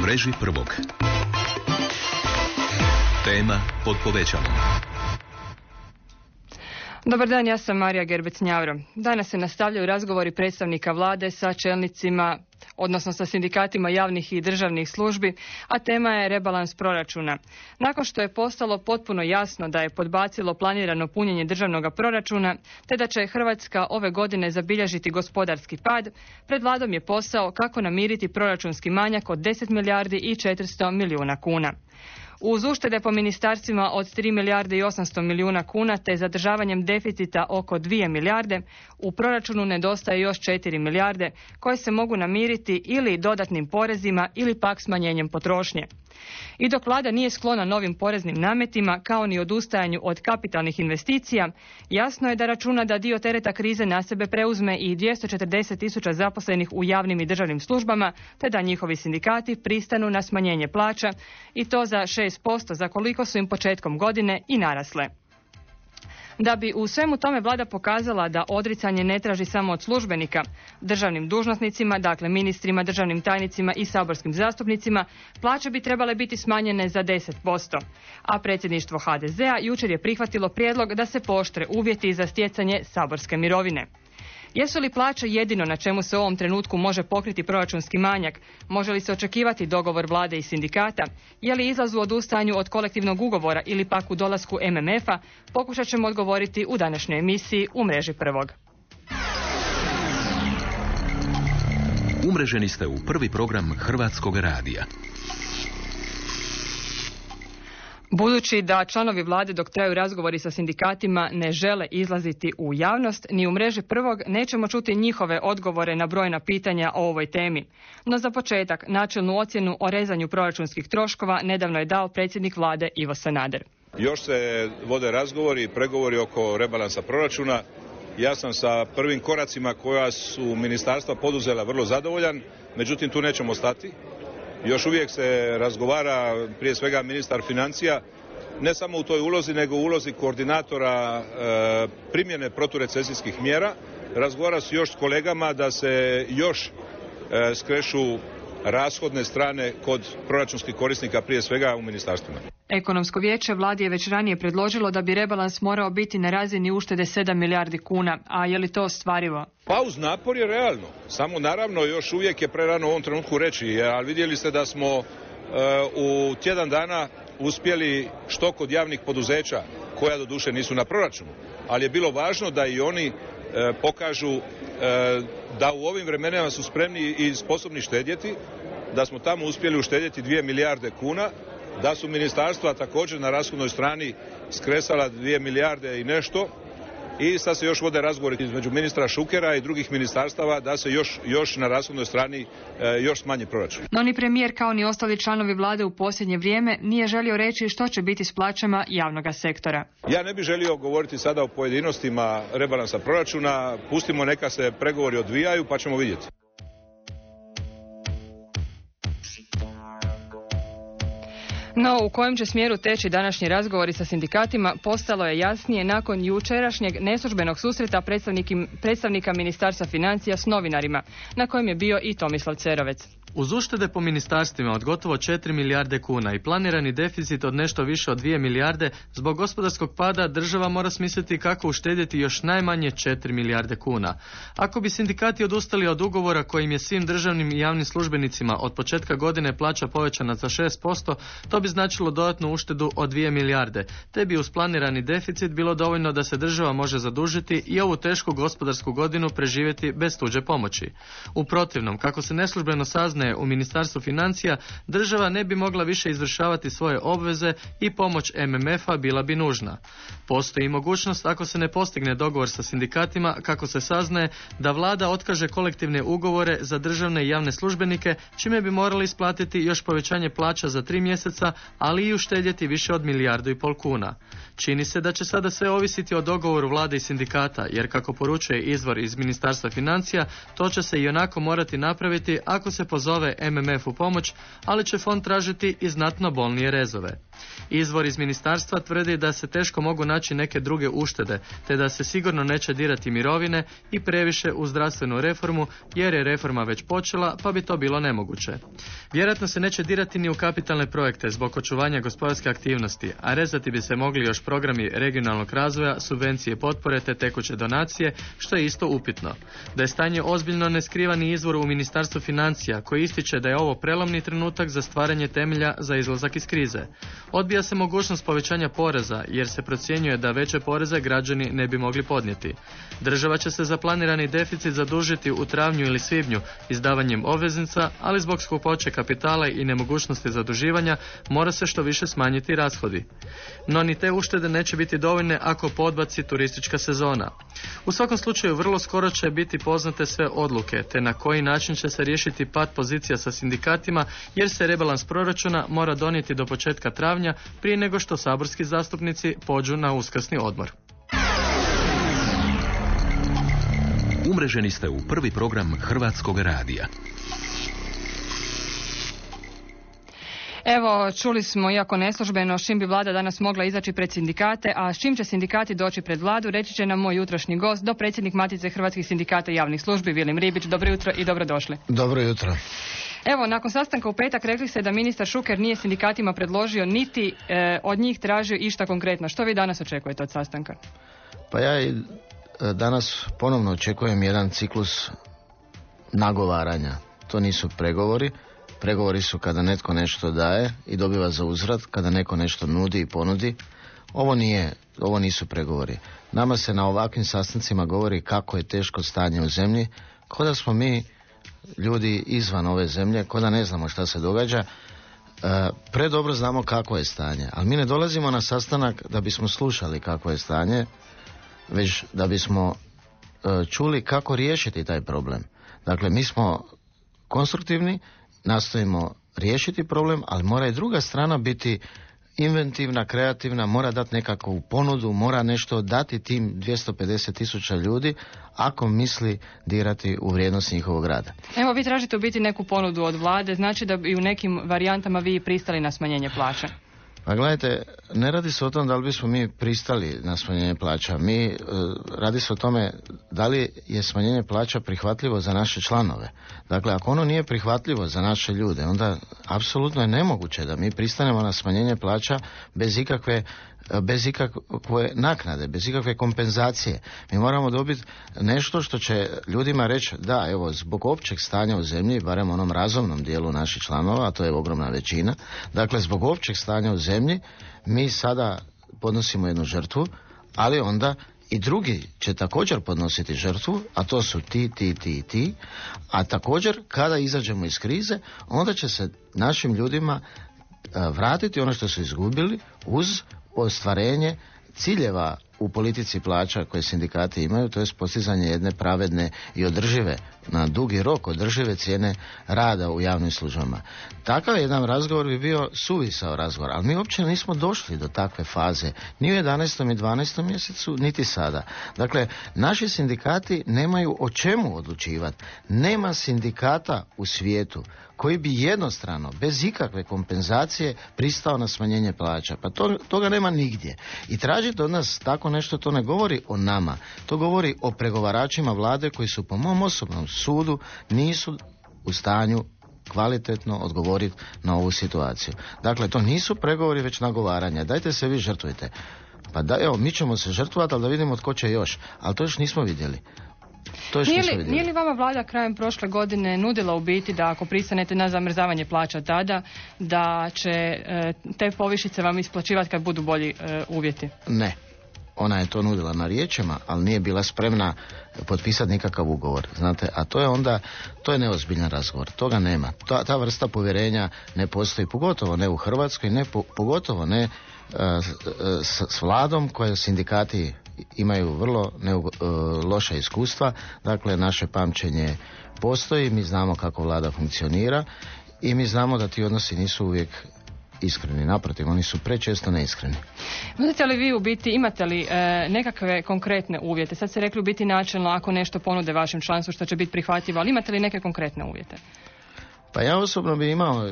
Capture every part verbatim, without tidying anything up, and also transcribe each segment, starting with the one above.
mreži prvog. Tema pod povećalom. Dobar dan, ja sam Marija Gerbec-Njavro. Danas se nastavljaju razgovori predstavnika vlade sa čelnicima, odnosno sa sindikatima javnih i državnih službi, a tema je rebalans proračuna. Nakon što je postalo potpuno jasno da je podbacilo planirano punjenje državnog proračuna, te da će Hrvatska ove godine zabilježiti gospodarski pad, pred vladom je posao kako namiriti proračunski manjak od deset milijardi i četiristo milijuna kuna. Uz uštede po ministarstvima od tri milijarde i osamsto milijuna kuna te zadržavanjem deficita oko dvije milijarde, u proračunu nedostaje još četiri milijarde koje se mogu namiriti ili dodatnim porezima ili pak smanjenjem potrošnje. I dok vlada nije sklona novim poreznim nametima kao ni odustajanju od kapitalnih investicija, jasno je da računa da dio tereta krize na sebe preuzme i dvjesto četrdeset tisuća zaposlenih u javnim i državnim službama, te da njihovi sindikati pristanu na smanjenje plaća i to za šest posto za koliko su im početkom godine i narasle. Da bi u svemu tome vlada pokazala da odricanje ne traži samo od službenika, državnim dužnosnicima, dakle ministrima, državnim tajnicima i saborskim zastupnicima, plaće bi trebale biti smanjene za deset posto. A predsjedništvo ha de zea jučer je prihvatilo prijedlog da se pooštre uvjeti za stjecanje saborske mirovine. Jesu li plaće jedino na čemu se u ovom trenutku može pokriti proračunski manjak? Može li se očekivati dogovor vlade i sindikata? Je li izlaz u odustajanju od kolektivnog ugovora ili pak u dolasku em em efa? Pokušat ćemo odgovoriti u današnjoj emisiji U mreži prvog. Umreženi ste u prvi program Hrvatskog radija. Budući da članovi vlade dok traju razgovori sa sindikatima ne žele izlaziti u javnost, ni u mreži prvog nećemo čuti njihove odgovore na brojna pitanja o ovoj temi. No za početak, načelnu ocjenu o rezanju proračunskih troškova nedavno je dao predsjednik vlade Ivo Sanader. Još se vode razgovori i pregovori oko rebalansa proračuna. Ja sam sa prvim koracima koja su ministarstva poduzela vrlo zadovoljan, međutim tu nećemo stati. Još uvijek se razgovara, prije svega ministar financija, ne samo u toj ulozi, nego u ulozi koordinatora e, primjene proturecesijskih mjera. Razgovara se još s kolegama da se još e, skrešu rashodne strane kod proračunskih korisnika, prije svega u ministarstvima. Ekonomsko vijeće vladi je već ranije predložilo da bi rebalans morao biti na razini uštede sedam milijardi kuna, a je li to ostvarivo? Pa uz napor je realno, samo naravno još uvijek je prerano u ovom trenutku reći, ali vidjeli ste da smo e, u tjedan dana uspjeli što kod javnih poduzeća, koja doduše nisu na proračunu, ali je bilo važno da i oni e, pokažu e, da u ovim vremenima su spremni i sposobni štedjeti, da smo tamo uspjeli uštedjeti dvije milijarde kuna, da su ministarstva također na rashodnoj strani skresala dvije milijarde i nešto i sad se još vode razgovori između ministra Šukera i drugih ministarstava da se još, još na rashodnoj strani e, još smanji proračun. No ni premijer kao ni ostali članovi vlade u posljednje vrijeme nije želio reći što će biti s plaćama javnoga sektora. Ja ne bih želio govoriti sada o pojedinostima rebalansa proračuna, pustimo neka se pregovori odvijaju pa ćemo vidjeti. No, u kojem će smjeru teći današnji razgovori sa sindikatima postalo je jasnije nakon jučerašnjeg neslužbenog susreta predstavnika Ministarstva financija s novinarima, na kojem je bio i Tomislav Cerovec. Uz uštede po ministarstvima od gotovo četiri milijarde kuna i planirani deficit od nešto više od dvije milijarde, zbog gospodarskog pada država mora smisliti kako uštedjeti još najmanje četiri milijarde kuna. Ako bi sindikati odustali od ugovora kojim je svim državnim i javnim službenicima od početka godine plaća povećana za šest posto, to bi značilo dodatnu uštedu od dvije milijarde, te bi uz planirani deficit bilo dovoljno da se država može zadužiti i ovu tešku gospodarsku godinu preživjeti bez tuđe pomoći. U protivnom, kako se neslužbeno sazna u Ministarstvu financija, država ne bi mogla više izvršavati svoje obveze i pomoć em em efa bila bi nužna. Postoji mogućnost, ako se ne postigne dogovor sa sindikatima, kako se saznaje, da vlada otkaže kolektivne ugovore za državne i javne službenike, čime bi morali isplatiti još povećanje plaća za tri mjeseca, ali i uštedjeti više od milijardu i pol kuna. Čini se da će sada sve ovisiti o dogovoru vlade i sindikata, jer kako poručuje izvor iz Ministarstva financija, to će se i onako morati napraviti ako se pozove pozove M M F u pomoć, ali će fond tražiti i znatno bolnije rezove. Izvor iz ministarstva tvrdi da se teško mogu naći neke druge uštede, te da se sigurno neće dirati mirovine i previše u zdravstvenu reformu, jer je reforma već počela, pa bi to bilo nemoguće. Vjerojatno se neće dirati ni u kapitalne projekte zbog očuvanja gospodarske aktivnosti, a rezati bi se mogli još programi regionalnog razvoja, subvencije potpore te tekuće donacije, što je isto upitno. Da je stanje ozbiljno ne skriva ni izvor u Ministarstvu financija, koji ističe da je ovo prelomni trenutak za stvaranje temelja za izlazak iz krize. Odbija se mogućnost povećanja poreza, jer se procjenjuje da veće poreze građani ne bi mogli podnijeti. Država će se za planirani deficit zadužiti u travnju ili svibnju izdavanjem obveznica, ali zbog skupoće kapitala i nemogućnosti zaduživanja mora se što više smanjiti rashodi. No ni te uštede neće biti dovoljne ako podbaci turistička sezona. U svakom slučaju vrlo skoro će biti poznate sve odluke, te na koji način će se riješiti pad pozicija sa sindikatima, jer se rebalans proračuna mora donijeti do početka travnja prije nego što saborski zastupnici pođu na uskrsni odmor. Umreženi ste u prvi program Hrvatskog radija. Evo, čuli smo, iako neslužbeno, s čim bi vlada danas mogla izaći pred sindikate, a s čim će sindikati doći pred vladu, reći će nam moj jutrošnji gost, dopredsjednik Matice Hrvatskih sindikata javnih službi, Vilim Ribić. Dobro jutro i dobrodošli. Dobro jutro. Evo, nakon sastanka u petak rekli ste da ministar Šuker nije sindikatima predložio niti e, od njih tražio išta konkretno. Što vi danas očekujete od sastanka? Pa ja i danas ponovno očekujem jedan ciklus nagovaranja. To nisu pregovori. Pregovori su kada netko nešto daje i dobiva za uzvrat, kada neko nešto nudi i ponudi. Ovo nije, ovo nisu pregovori. Nama se na ovakvim sastancima govori kako je teško stanje u zemlji, kao da smo mi ljudi izvan ove zemlje, kao da ne znamo šta se događa. E, predobro znamo kako je stanje, ali mi ne dolazimo na sastanak da bismo slušali kako je stanje, već da bismo e, čuli kako riješiti taj problem. Dakle, mi smo konstruktivni, nastojimo riješiti problem, ali mora i druga strana biti inventivna, kreativna, mora dati nekakvu ponudu, mora nešto dati tim dvjesto pedeset tisuća ljudi ako misli dirati u vrijednost njihovog rada. Evo, vi tražite u biti neku ponudu od vlade, znači da bi u nekim varijantama vi pristali na smanjenje plaća. Pa gledajte, ne radi se o tom da li bismo mi pristali na smanjenje plaća. Mi, e, radi se o tome da li je smanjenje plaća prihvatljivo za naše članove. Dakle, ako ono nije prihvatljivo za naše ljude, onda apsolutno je nemoguće da mi pristanemo na smanjenje plaća bez ikakve bez ikakve naknade, bez ikakve kompenzacije. Mi moramo dobiti nešto što će ljudima reći da, evo, zbog općeg stanja u zemlji, barem onom razumnom dijelu naših članova, a to je ogromna većina, dakle, zbog općeg stanja u zemlji, mi sada podnosimo jednu žrtvu, ali onda i drugi će također podnositi žrtvu, a to su ti, ti, ti i ti, a također kada izađemo iz krize, onda će se našim ljudima vratiti ono što su izgubili uz ostvarenje ciljeva u politici plaća koje sindikati imaju, to je postizanje jedne pravedne i održive, na dugi rok održive cijene rada u javnim službama. Takav jedan razgovor bi bio suvisao razgovor, ali mi uopće nismo došli do takve faze, ni u jedanaestom i dvanaestom mjesecu, niti sada. Dakle, naši sindikati nemaju o čemu odlučivati. Nema sindikata u svijetu koji bi jednostrano, bez ikakve kompenzacije, pristao na smanjenje plaća. Pa to, toga nema nigdje. I tražiti od nas tako nešto, to ne govori o nama. To govori o pregovaračima vlade koji su po mom osobnom sudu nisu u stanju kvalitetno odgovoriti na ovu situaciju. Dakle, to nisu pregovori, već nagovaranja. Dajte se vi žrtvujte. Pa da, evo, mi ćemo se žrtvovati, ali da vidimo tko će još. Ali to još nismo vidjeli. Nije li, nije li vama vlada krajem prošle godine nudila u biti da ako pristanete na zamrzavanje plaća tada, da će e, te povišice vam isplaćivati kad budu bolji e, uvjeti? Ne. Ona je to nudila na riječima, ali nije bila spremna potpisati nikakav ugovor. Znate, a to je onda, to je neozbiljan razgovor. Toga nema. Ta, ta vrsta povjerenja ne postoji, pogotovo ne u Hrvatskoj, ne, po, pogotovo ne uh, s, s vladom koje sindikati imaju vrlo ne, uh, loša iskustva. Dakle, naše pamćenje postoji, mi znamo kako vlada funkcionira i mi znamo da ti odnosi nisu uvijek iskreni, naprotiv, oni su prečesto neiskreni. Možete li vi u biti, imate li e, nekakve konkretne uvjete? Sad ste rekli u biti načelno ako nešto ponude vašem članstvu što će biti prihvatljivo, ali imate li neke konkretne uvjete? Pa ja osobno bi imao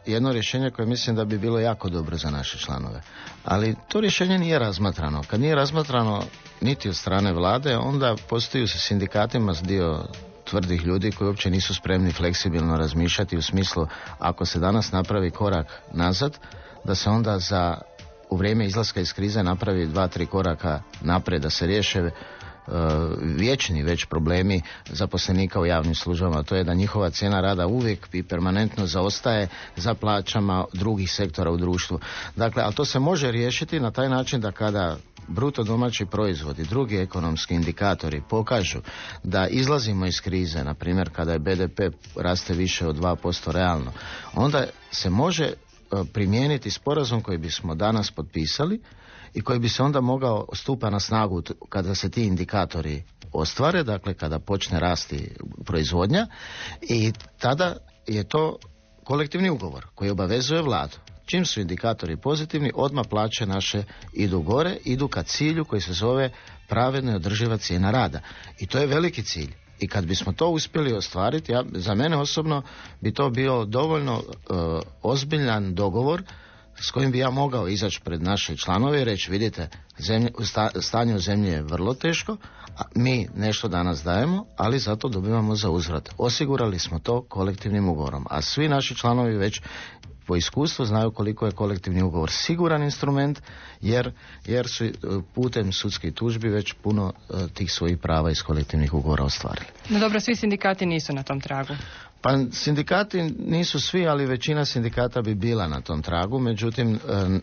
jedno rješenje koje mislim da bi bilo jako dobro za naše članove. Ali to rješenje nije razmatrano. Kad nije razmatrano niti od strane vlade, onda postoji sa sindikatima dio tvrdih ljudi koji uopće nisu spremni fleksibilno razmišljati u smislu ako se danas napravi korak nazad, da se onda za u vrijeme izlaska iz krize napravi dva, tri koraka naprijed, da se riješe uh, vječni već problemi zaposlenika u javnim službama. To je da njihova cijena rada uvijek i permanentno zaostaje za plaćama drugih sektora u društvu. Dakle, ali to se može riješiti na taj način da kada bruto domaći proizvod i drugi ekonomski indikatori pokažu da izlazimo iz krize, na primjer kada je be de pe raste više od dva posto realno, onda se može primijeniti sporazum koji bismo danas potpisali i koji bi se onda mogao stupa na snagu kada se ti indikatori ostvare, dakle kada počne rasti proizvodnja, i tada je to kolektivni ugovor koji obavezuje vladu. Čim su indikatori pozitivni, odmah plaće naše idu gore, idu ka cilju koji se zove pravedna i održiva cijena rada. I to je veliki cilj. I kad bismo to uspjeli ostvariti, ja, za mene osobno bi to bio dovoljno uh, ozbiljan dogovor s kojim bi ja mogao izaći pred naše članove i reći, vidite, zemlje, sta, stanje u zemlji je vrlo teško, a mi nešto danas dajemo, ali zato dobivamo za uzvrat. Osigurali smo to kolektivnim ugovorom, a svi naši članovi već po iskustvu znaju koliko je kolektivni ugovor siguran instrument, jer, jer su putem sudskih tužbi već puno uh, tih svojih prava iz kolektivnih ugovora ostvarili. No dobro, svi sindikati nisu na tom tragu. Pa sindikati nisu svi, ali većina sindikata bi bila na tom tragu, međutim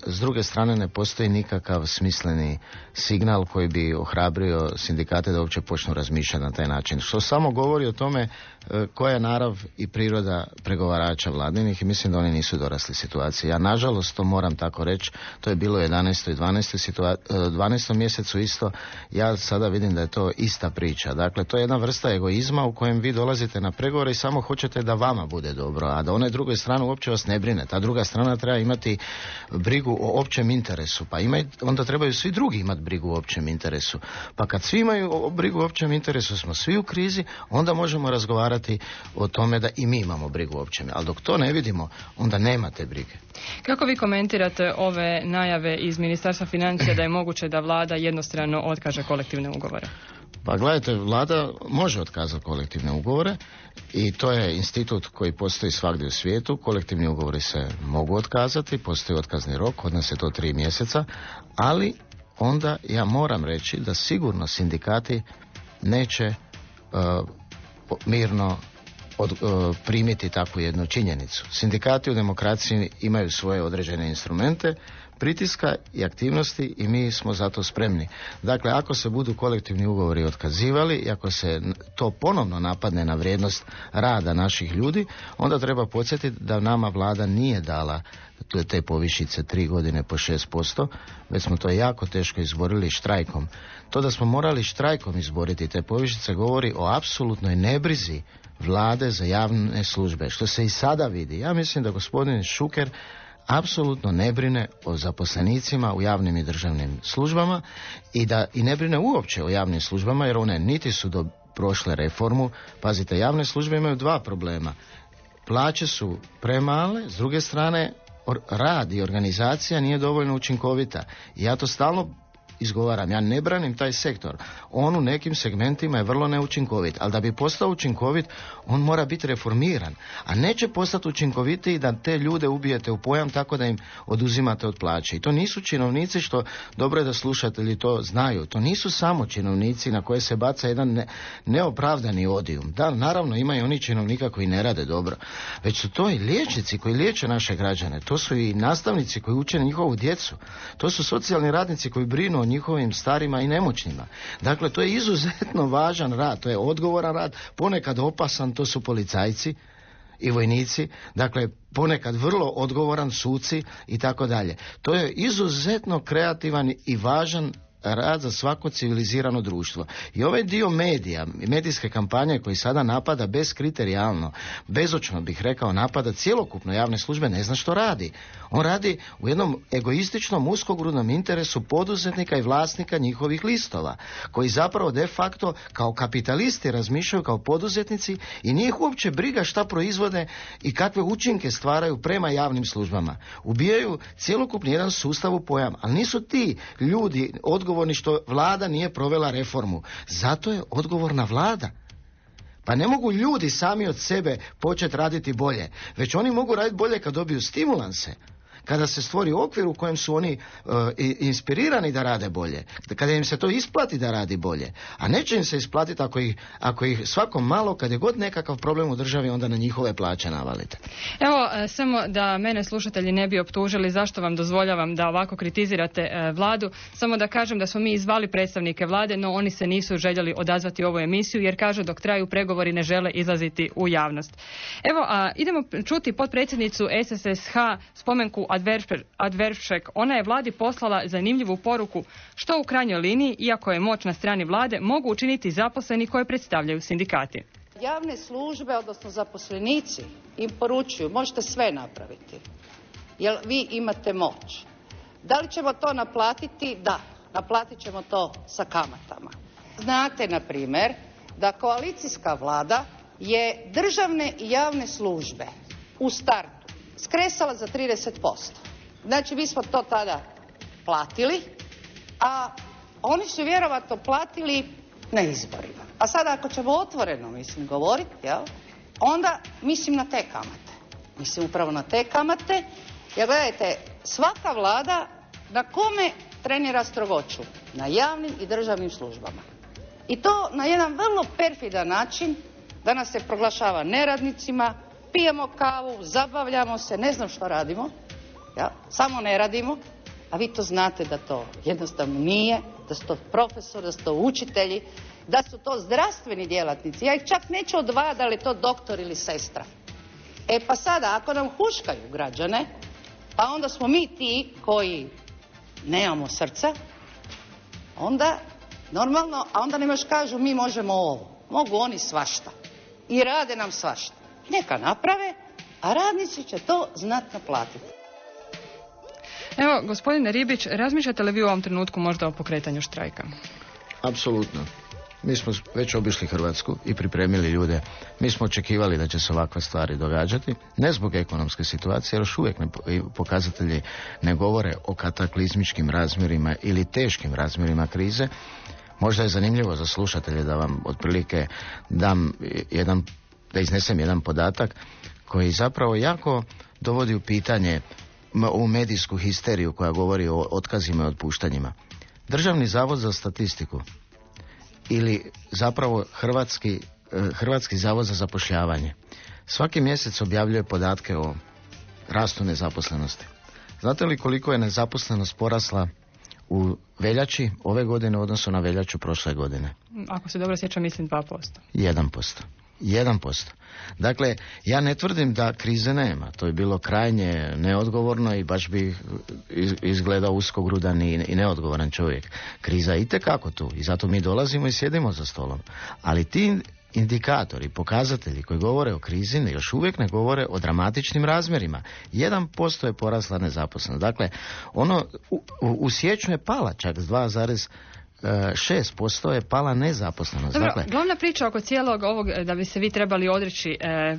s druge strane ne postoji nikakav smisleni signal koji bi ohrabrio sindikate da uopće počnu razmišljati na taj način. Što samo govori o tome koja je narav i priroda pregovarača vladinih i mislim da oni nisu dorasli situaciji. Ja nažalost to moram tako reći, to je bilo u jedanaestom i dvanaestom mjesecu isto, ja sada vidim da je to ista priča. Dakle, to je jedna vrsta egoizma u kojem vi dolazite na pregovore i samo hoćete da vama bude dobro, a da one druge strane uopće vas ne brine. Ta druga strana treba imati brigu o općem interesu, pa ima, onda trebaju svi drugi imati brigu o općem interesu. Pa kad svi imaju brigu o općem interesu, smo svi u krizi, onda možemo razgovarati o tome da i mi imamo brigu o općem. Ali dok to ne vidimo, onda nema te brige. Kako vi komentirate ove najave iz Ministarstva financija da je moguće da vlada jednostrano otkaže kolektivne ugovore? Pa gledajte, vlada može otkazati kolektivne ugovore i to je institut koji postoji svagdje u svijetu. Kolektivni ugovori se mogu otkazati, postoji otkazni rok, kod nas je to tri mjeseca, ali onda ja moram reći da sigurno sindikati neće uh, mirno od, uh, primiti takvu jednu činjenicu. Sindikati u demokraciji imaju svoje određene instrumente pritiska i aktivnosti i mi smo zato spremni. Dakle, ako se budu kolektivni ugovori otkazivali i ako se to ponovno napadne na vrijednost rada naših ljudi, onda treba podsjetiti da nama vlada nije dala te povišice tri godine po šest posto, već smo to jako teško izborili štrajkom. To da smo morali štrajkom izboriti te povišice govori o apsolutnoj nebrizi vlade za javne službe, što se i sada vidi. Ja mislim da gospodin Šuker apsolutno ne brine o zaposlenicima u javnim i državnim službama i da i ne brine uopće o javnim službama, jer one niti su do prošle reformu. Pazite, javne službe imaju dva problema. Plaće su premale, s druge strane rad i organizacija nije dovoljno učinkovita. I ja to stalno izgovaram, ja ne branim taj sektor. On u nekim segmentima je vrlo neučinkovit, ali da bi postao učinkovit, on mora biti reformiran. A neće postati učinkovitiji da te ljude ubijete u pojam tako da im oduzimate od plaće. I to nisu činovnici, što dobro je da slušatelji to znaju. To nisu samo činovnici na koje se baca jedan ne, neopravdani odijum. Da, naravno imaju oni činovnika koji ne rade dobro. Već su to i liječnici koji liječe naše građane. To su i nastavnici koji uče njihovu djecu. To su socijalni radnici koji brinu o njihovim starima i nemoćnima. Dakle, to je izuzetno važan rad, to je odgovoran rad, ponekad opasan, to su policajci i vojnici, dakle, ponekad vrlo odgovoran, suci i tako dalje. To je izuzetno kreativan i važan rad za svako civilizirano društvo. I ovaj dio medija, medijske kampanje koji sada napada beskriterijalno, bezočno bih rekao, napada cjelokupno javne službe, ne zna što radi. On radi u jednom egoističnom, uskogrudnom interesu poduzetnika i vlasnika njihovih listova, koji zapravo de facto kao kapitalisti razmišljaju kao poduzetnici i nije ih uopće briga šta proizvode i kakve učinke stvaraju prema javnim službama. Ubijaju cjelokupni jedan sustav u pojam, ali nisu ti ljudi odgovorni što vlada nije provela reformu. Zato je odgovorna vlada. Pa ne mogu ljudi sami od sebe početi raditi bolje, već oni mogu raditi bolje kad dobiju stimulanse, kada se stvori okvir u kojem su oni uh, inspirirani da rade bolje, kada im se to isplati da radi bolje, a neće im se isplatiti ako ih, ako ih svako malo, kad je god nekakav problem u državi, onda na njihove plaće navalite. Evo, samo da mene slušatelji ne bi optužili zašto vam dozvoljavam da ovako kritizirate e, vladu, samo da kažem da smo mi izvali predstavnike vlade, no oni se nisu željeli odazvati u ovu emisiju jer kažu dok traju pregovori ne žele izlaziti u javnost. Evo, a, idemo čuti potpredsjednicu S S S H Spomenku Adveršek. Ona je vladi poslala zanimljivu poruku što u krajnjoj liniji, iako je moć na strani vlade, mogu učiniti zaposleni koje predstavljaju sindikati. Javne službe, odnosno zaposlenici, im poručuju možete sve napraviti, jer vi imate moć. Da li ćemo to naplatiti? Da, naplatit ćemo to sa kamatama. Znate, na primjer, da koalicijska vlada je državne i javne službe u startu skresala za trideset posto. Znači, mi smo to tada platili, a oni su vjerovatno platili na izborima. A sada ako ćemo otvoreno, mislim, govoriti, jel, onda mislim na te kamate. Mislim upravo na te kamate, jer gledajte, svaka vlada na kome trenira strogoću? Na javnim i državnim službama. I to na jedan vrlo perfidan način, da nas se proglašava neradnicima, pijemo kavu, zabavljamo se, ne znam što radimo, ja, samo ne radimo, a vi to znate da to jednostavno nije, da su to profesori, da su to učitelji, da su to zdravstveni djelatnici. Ja ih čak neću odvajati da li je to doktor ili sestra. E pa sada, ako nam huškaju građane, pa onda smo mi ti koji nemamo srca, onda normalno, a onda nam još kažu mi možemo ovo. Mogu oni svašta. I rade nam svašta. Neka naprave, a radnici će to znatno platiti. Evo, gospodine Ribić, razmišljate li vi u ovom trenutku možda o pokretanju štrajka? Apsolutno. Mi smo već obišli Hrvatsku i pripremili ljude. Mi smo očekivali da će se ovakve stvari događati, ne zbog ekonomske situacije, jer još uvijek ne, pokazatelji ne govore o kataklizmičkim razmjerima ili teškim razmjerima krize. Možda je zanimljivo za slušatelje da vam otprilike dam jedan, da iznesem jedan podatak koji zapravo jako dovodi u pitanje ovu medijsku histeriju koja govori o otkazima i otpuštanjima. Državni zavod za statistiku ili zapravo Hrvatski, Hrvatski zavod za zapošljavanje svaki mjesec objavljuje podatke o rastu nezaposlenosti. Znate li koliko je nezaposlenost porasla u veljači ove godine u odnosu na veljaču prošle godine? Ako se dobro sjećam, mislim dva posto. jedan posto. jedan posto. Dakle, ja ne tvrdim da krize nema. To je bilo krajnje neodgovorno i baš bi izgledao uskogrudan i, i neodgovoran čovjek. Kriza je itekako tu i zato mi dolazimo i sjedimo za stolom. Ali ti indikatori, pokazatelji koji govore o krizi još uvijek ne govore o dramatičnim razmjerima. jedan posto je porasla nezaposlenost. Dakle, ono u, u, u siječnju je pala čak s dva zarez šest posto je pala nezaposlenost. Dobro, dakle, glavna priča oko cijelog ovog da bi se vi trebali odreći e, e,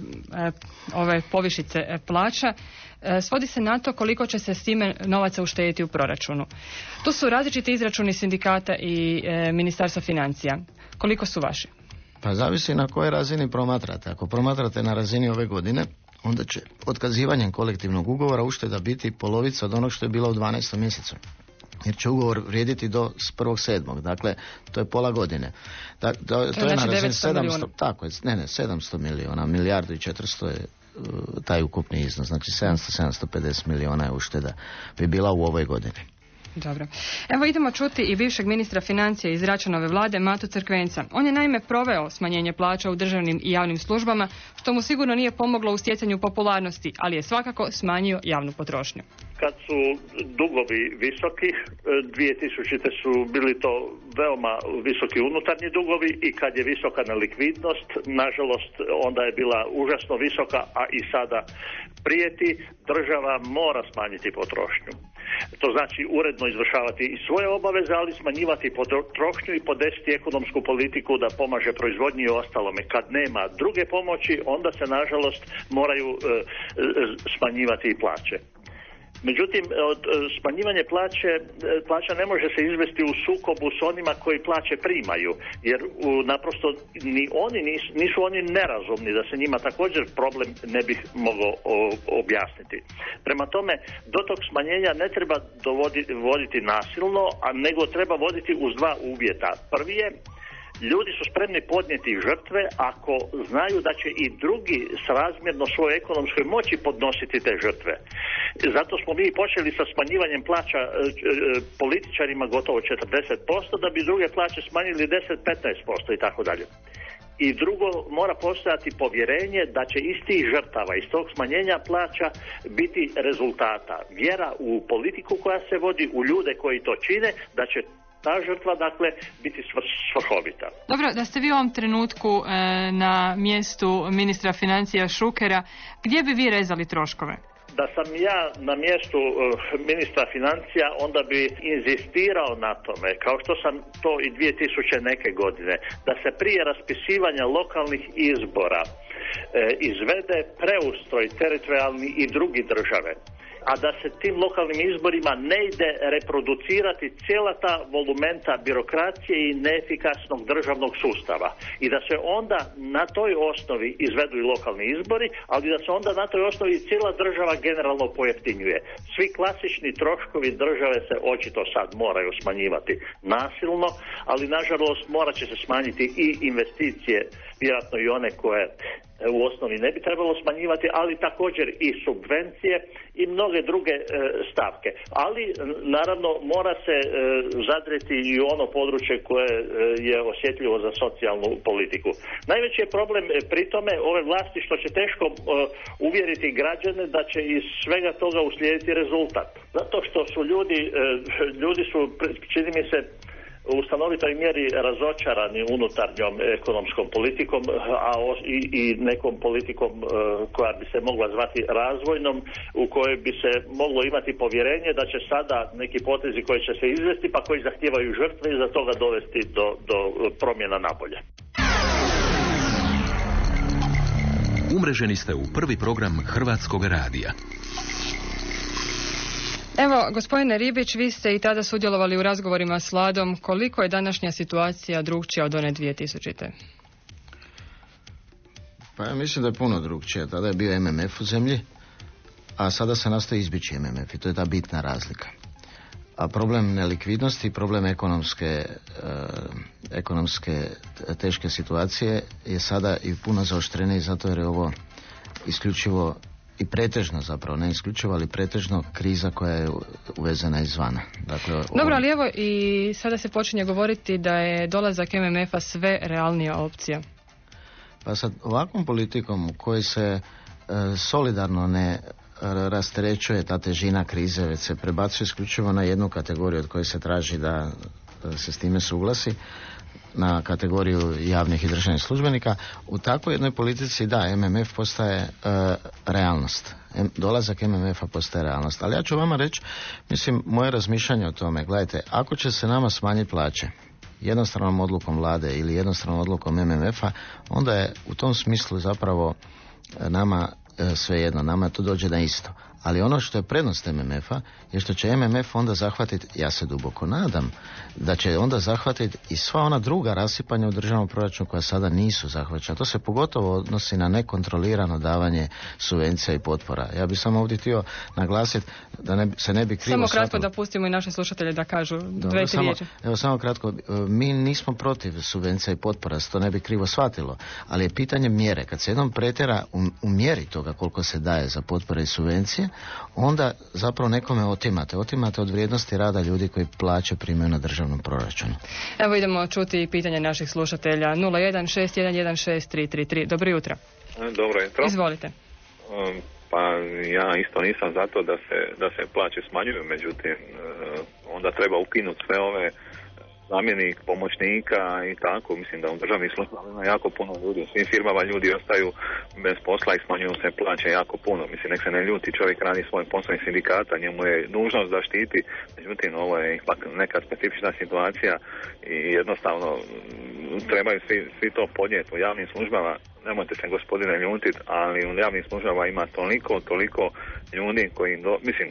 ove povišice e, plaća e, svodi se na to koliko će se s time novaca uštedjeti u proračunu. Tu su različiti izračuni sindikata i e, Ministarstva financija. Koliko su vaši? Pa zavisi na kojoj razini promatrate. Ako promatrate na razini ove godine, onda će otkazivanjem kolektivnog ugovora ušteda biti polovica od onog što je bilo u dvanaestom mjesecu. Jer će ugovor vrijediti do prvog sedmog. Dakle, to je pola godine. Da, da, to, to je na razini sedamsto, tako je, ne, ne, sedamsto milijuna, milijardu i četiristo je uh, taj ukupni iznos. Znači sedamsto do sedamsto pedeset milijuna je ušteda bi bila u ovoj godini. Dobro. Evo idemo čuti i bivšeg ministra financija iz Račanove vlade Matu Crkvenca. On je naime proveo smanjenje plaća u državnim i javnim službama, što mu sigurno nije pomoglo u stjecanju popularnosti, ali je svakako smanjio javnu potrošnju. Kad su dugovi visoki, dvije tisućite su bili to veoma visoki unutarnji dugovi i kad je visoka nelikvidnost, nažalost onda je bila užasno visoka, a i sada prijeti, država mora smanjiti potrošnju. To znači uredno izvršavati i svoje obaveze, ali smanjivati potrošnju i podesiti ekonomsku politiku da pomaže proizvodnji i ostalome. Kad nema druge pomoći, onda se nažalost moraju e, e, smanjivati i plaće. Međutim, od smanjivanje plaće, plaća ne može se izvesti u sukobu s onima koji plaće primaju, jer u, naprosto ni oni nisu, nisu oni nerazumni, da se njima također problem ne bih mogao o, objasniti. Prema tome, do tog smanjenja ne treba dovoditi, voditi nasilno, a nego treba voditi uz dva uvjeta. Prvi je, ljudi su spremni podnijeti žrtve ako znaju da će i drugi srazmjerno svojoj ekonomskoj moći podnositi te žrtve. Zato smo mi počeli sa smanjivanjem plaća e, e, političarima gotovo četrdeset posto, da bi druge plaće smanjili deset do petnaest posto i tako dalje. I drugo, mora postojati povjerenje da će iz tih žrtava, iz tog smanjenja plaća biti rezultata. Vjera u politiku koja se vodi, u ljude koji to čine, da će ta žrtva, dakle, biti svrhovita. Dobro, da ste vi u ovom trenutku e, na mjestu ministra financija Šukera, gdje bi vi rezali troškove? Da sam ja na mjestu uh, ministra financija, onda bi inzistirao na tome, kao što sam to i dvije tisuće neke godine, da se prije raspisivanja lokalnih izbora uh, izvede preustroj teritorijalni i drugi države, a da se tim lokalnim izborima ne ide reproducirati cijela ta volumenta birokracije i neefikasnog državnog sustava. I da se onda na toj osnovi izvedu i lokalni izbori, ali da se onda na toj osnovi cijela država generalno pojeftinjuje. Svi klasični troškovi države se očito sad moraju smanjivati nasilno, ali nažalost morat će se smanjiti i investicije, vjerojatno i one koje u osnovi ne bi trebalo smanjivati, ali također i subvencije i mnoge druge e, stavke. Ali naravno mora se e, zadreti i ono područje koje e, je osjetljivo za socijalnu politiku. Najveći je problem e, pri tome ove vlasti što će teško e, uvjeriti građane da će iz svega toga uslijediti rezultat. Zato što su ljudi, e, ljudi su, čini mi se, u stanovitoj mjeri razočarani unutarnjom ekonomskom politikom, a i, i nekom politikom uh, koja bi se mogla zvati razvojnom, u kojoj bi se moglo imati povjerenje da će sada neki potezi koji će se izvesti, pa koji zahtijevaju žrtve i za toga dovesti do, do promjena nabolje. Umreženi ste u prvi program Hrvatskog radija. Evo, gospodine Ribić, vi ste i tada sudjelovali u razgovorima s vladom. Koliko je današnja situacija drugčija od one dvije tisućite? Pa ja mislim da je puno drugčija. Tada je bio M M F u zemlji, a sada se nastoji izbjeći M M F i to je ta bitna razlika. A problem nelikvidnosti, problem ekonomske, e, ekonomske teške situacije je sada i puno zaoštreniji, zato jer je ovo isključivo i pretežno zapravo, ne isključivo, ali pretežno kriza koja je uvezena izvana. Dakle, Dobro, ovo... ali evo i sada se počinje govoriti da je dolazak M M F-a sve realnija opcija. Pa sad ovakvom politikom u kojoj se e, solidarno ne rasterećuje ta težina krize, već se prebacuje isključivo na jednu kategoriju od koje se traži da se s time suglasi, na kategoriju javnih i državnih službenika, u takvoj jednoj politici da, M M F postaje e, realnost. M, dolazak M M F-a postaje realnost. Ali ja ću vama reći, mislim, moje razmišljanje o tome, gledajte, ako će se nama smanjiti plaće jednostranom odlukom vlade ili jednostranom odlukom M M F-a, onda je u tom smislu zapravo nama e, svejedno, nama to dođe na isto. Ali ono što je prednost M M F-a je što će M M F onda zahvatiti, ja se duboko nadam, da će onda zahvatiti i sva ona druga rasipanja u državnom proračunu koja sada nisu zahvaćena. To se pogotovo odnosi na nekontrolirano davanje subvencija i potpora. Ja bih samo ovdje htio naglasiti da ne, se ne bi krivo Samo kratko shvatilo. Da pustimo i naše slušatelje da kažu Dobro, dve, tri riječi. Evo samo kratko, mi nismo protiv subvencija i potpora, to ne bi krivo shvatilo, ali je pitanje mjere. Kad se jednom pretjera u, u mjeri toga koliko se daje za potpore i subvencije, onda zapravo nekome otimate. Otimate od vrijednosti rada ljudi koji plaće primaju na državnom proračunu. Evo idemo čuti pitanje naših slušatelja. nula jedan šest jedan jedan šest tri tri tri. Dobro jutro. Dobro jutro. Izvolite. Um, pa ja isto nisam za to da se, da se plaće smanjuju, međutim onda treba ukinuti sve ove zamjenik, pomoćnika i tako. Mislim da u državnih službama ima jako puno ljudi. U svim firmama ljudi ostaju bez posla i smanjuju se plaće jako puno. Mislim, nek se ne ljuti, čovjek radi svoj posao i sindikata, njemu je nužnost da štiti. Međutim, ovo je ipak neka specifična situacija i jednostavno trebaju svi, svi to podnijeti. U javnim službama, nemojte se gospodine ljutit, ali u javnim službama ima toliko, toliko ljudi koji, do, mislim,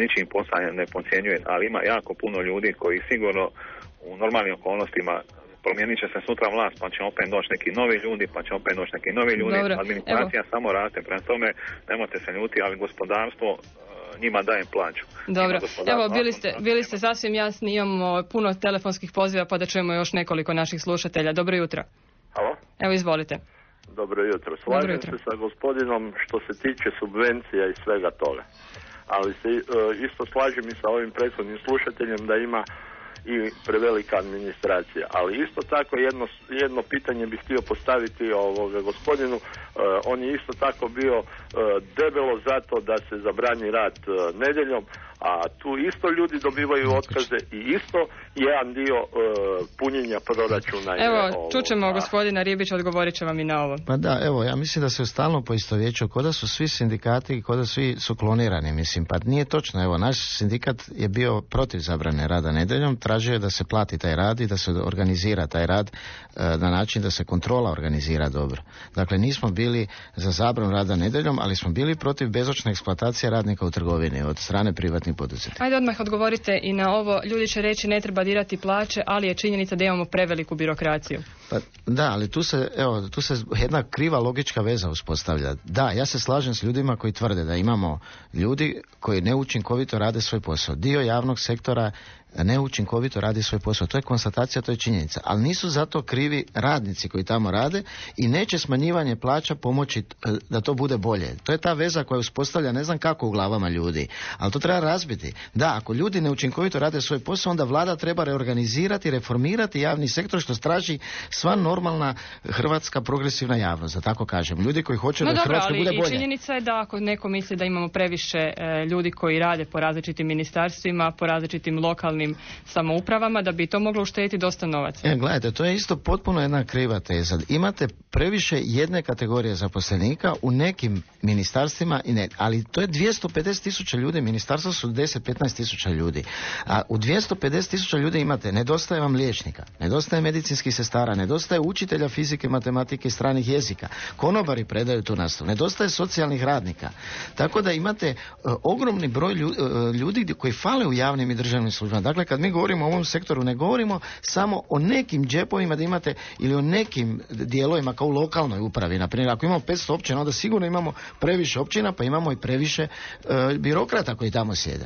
ničim posao ne podcjenjuje, ali ima jako puno ljudi koji sigurno u normalnim okolnostima promijenit će se sutra vlast, pa će opet doći neki novi ljudi, pa će opet doći neki novi ljudi. Dobro, administracija evo. Samo raste, prema tome nemojte se ljuti, ali gospodarstvo njima daje plaću. Dobro, evo bili ste, bili ste sasvim jasni, imamo puno telefonskih poziva pa da čujemo još nekoliko naših slušatelja. Dobro jutro. Halo? Evo izvolite. Dobro jutro. Slažem jutro. se sa gospodinom što se tiče subvencija i svega toga. Ali se isto slažem i sa ovim prethodnim slušateljem da ima i prevelika administracija. Ali isto tako jedno, jedno pitanje bih htio postaviti ovoga gospodinu. Uh, on je isto tako bio uh, debelo zato da se zabrani rad uh, nedjeljom, a tu isto ljudi dobivaju otkaze i isto jedan dio uh, punjenja proračuna. Evo, je, čućemo a... gospodina Ribića, odgovorit će vam i na ovo. Pa da, evo, ja mislim da se stalno poistovjećuju, ko da su svi sindikati, ko da svi su klonirani, mislim, pa nije točno. Evo, naš sindikat je bio protiv zabrane rada nedjeljom, tražio je da se plati taj rad i da se organizira taj rad uh, na način da se kontrola organizira dobro. Dakle, nismo bili za zabranu rada nedjeljom, ali smo bili protiv bezočne eksploatacije radnika u trgovini od strane privatnih poduzetnika. Ajde odmah odgovorite i na ovo. Ljudi će reći ne treba dirati plaće, ali je činjenica da imamo preveliku birokraciju. Pa, da, ali tu se, evo, tu se jedna kriva logička veza uspostavlja. Da, ja se slažem s ljudima koji tvrde da imamo ljudi koji neučinkovito rade svoj posao. Dio javnog sektora neučinkovito radi svoj posao. To je konstatacija, to je činjenica. Ali nisu zato krivi radnici koji tamo rade i neće smanjivanje plaća pomoći da to bude bolje. To je ta veza koja uspostavlja ne znam kako u glavama ljudi. Ali to treba razbiti. Da, ako ljudi neučinkovito rade svoj posao, onda vlada treba reorganizirati, reformirati javni sektor, što traži sva normalna hrvatska progresivna javnost, da tako kažem. Ljudi koji hoće no da dobro, Hrvatska bude bolje. I činjenica je da ako neko misli da imamo previše e, ljudi koji rade po različitim ministarstvima, po različitim lokalnim samoupravama, da bi to moglo uštediti dosta novaca. E, gledajte, to je isto potpuno jedna kriva teza. Imate previše jedne kategorije zaposlenika u nekim ministarstvima, i ne, ali to je dvjesto pedeset tisuća ljudi, ministarstva su deset do petnaest tisuća ljudi. A u dvjesto pedeset tisuća ljudi imate, nedostaje vam liječnika, nedostaje medicinskih sestara, nedostaje učitelja fizike, matematike i stranih jezika, konobari predaju tu nastavu, nedostaje socijalnih radnika. Tako da imate uh, ogromni broj ljudi, uh, ljudi koji fale u javnim i državnim službama. Dakle, kad mi govorimo o ovom sektoru, ne govorimo samo o nekim džepovima da imate ili o nekim dijelovima kao u lokalnoj upravi. Naprimjer, ako imamo petsto općina, onda sigurno imamo previše općina, pa imamo i previše uh, birokrata koji tamo sjede.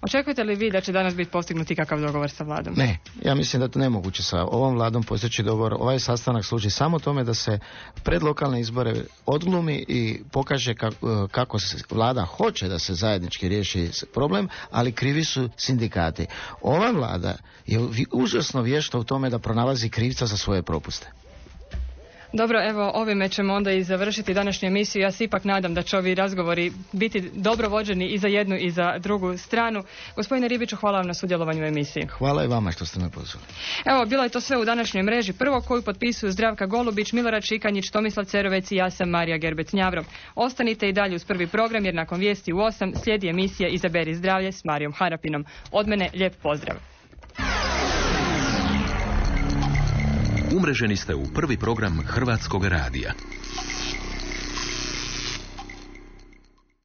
Očekujete li vi da će danas biti postignuti kakav dogovor sa vladom? Ne, ja mislim da je to nemoguće sa ovom vladom postići dogovor. Ovaj sastanak služi samo tome da se pred lokalne izbore odglumi i pokaže kako, kako se vlada hoće da se zajednički riješi problem, ali krivi su sindikati. Ova vlada je užasno vješta u tome da pronalazi krivca za svoje propuste. Dobro, evo ovime ćemo onda i završiti današnju emisiju. Ja se ipak nadam da će ovi razgovori biti dobro vođeni i za jednu i za drugu stranu. Gospodine Ribiću, hvala vam na sudjelovanju u emisiji. Hvala i vama što ste me pozvali. Evo, bilo je to sve u današnjoj mreži. Prvo koju potpisuju Zdravka Golubić, Milorad Šikanjić, Tomislav Cerovec i ja sam Marija Gerbec-Njavro. Ostanite i dalje uz prvi program jer nakon vijesti u osam slijedi emisija Izaberi zdravlje s Marijom Harapinom. Od mene lijep pozdrav. Umreženi ste u prvi program Hrvatskog radija.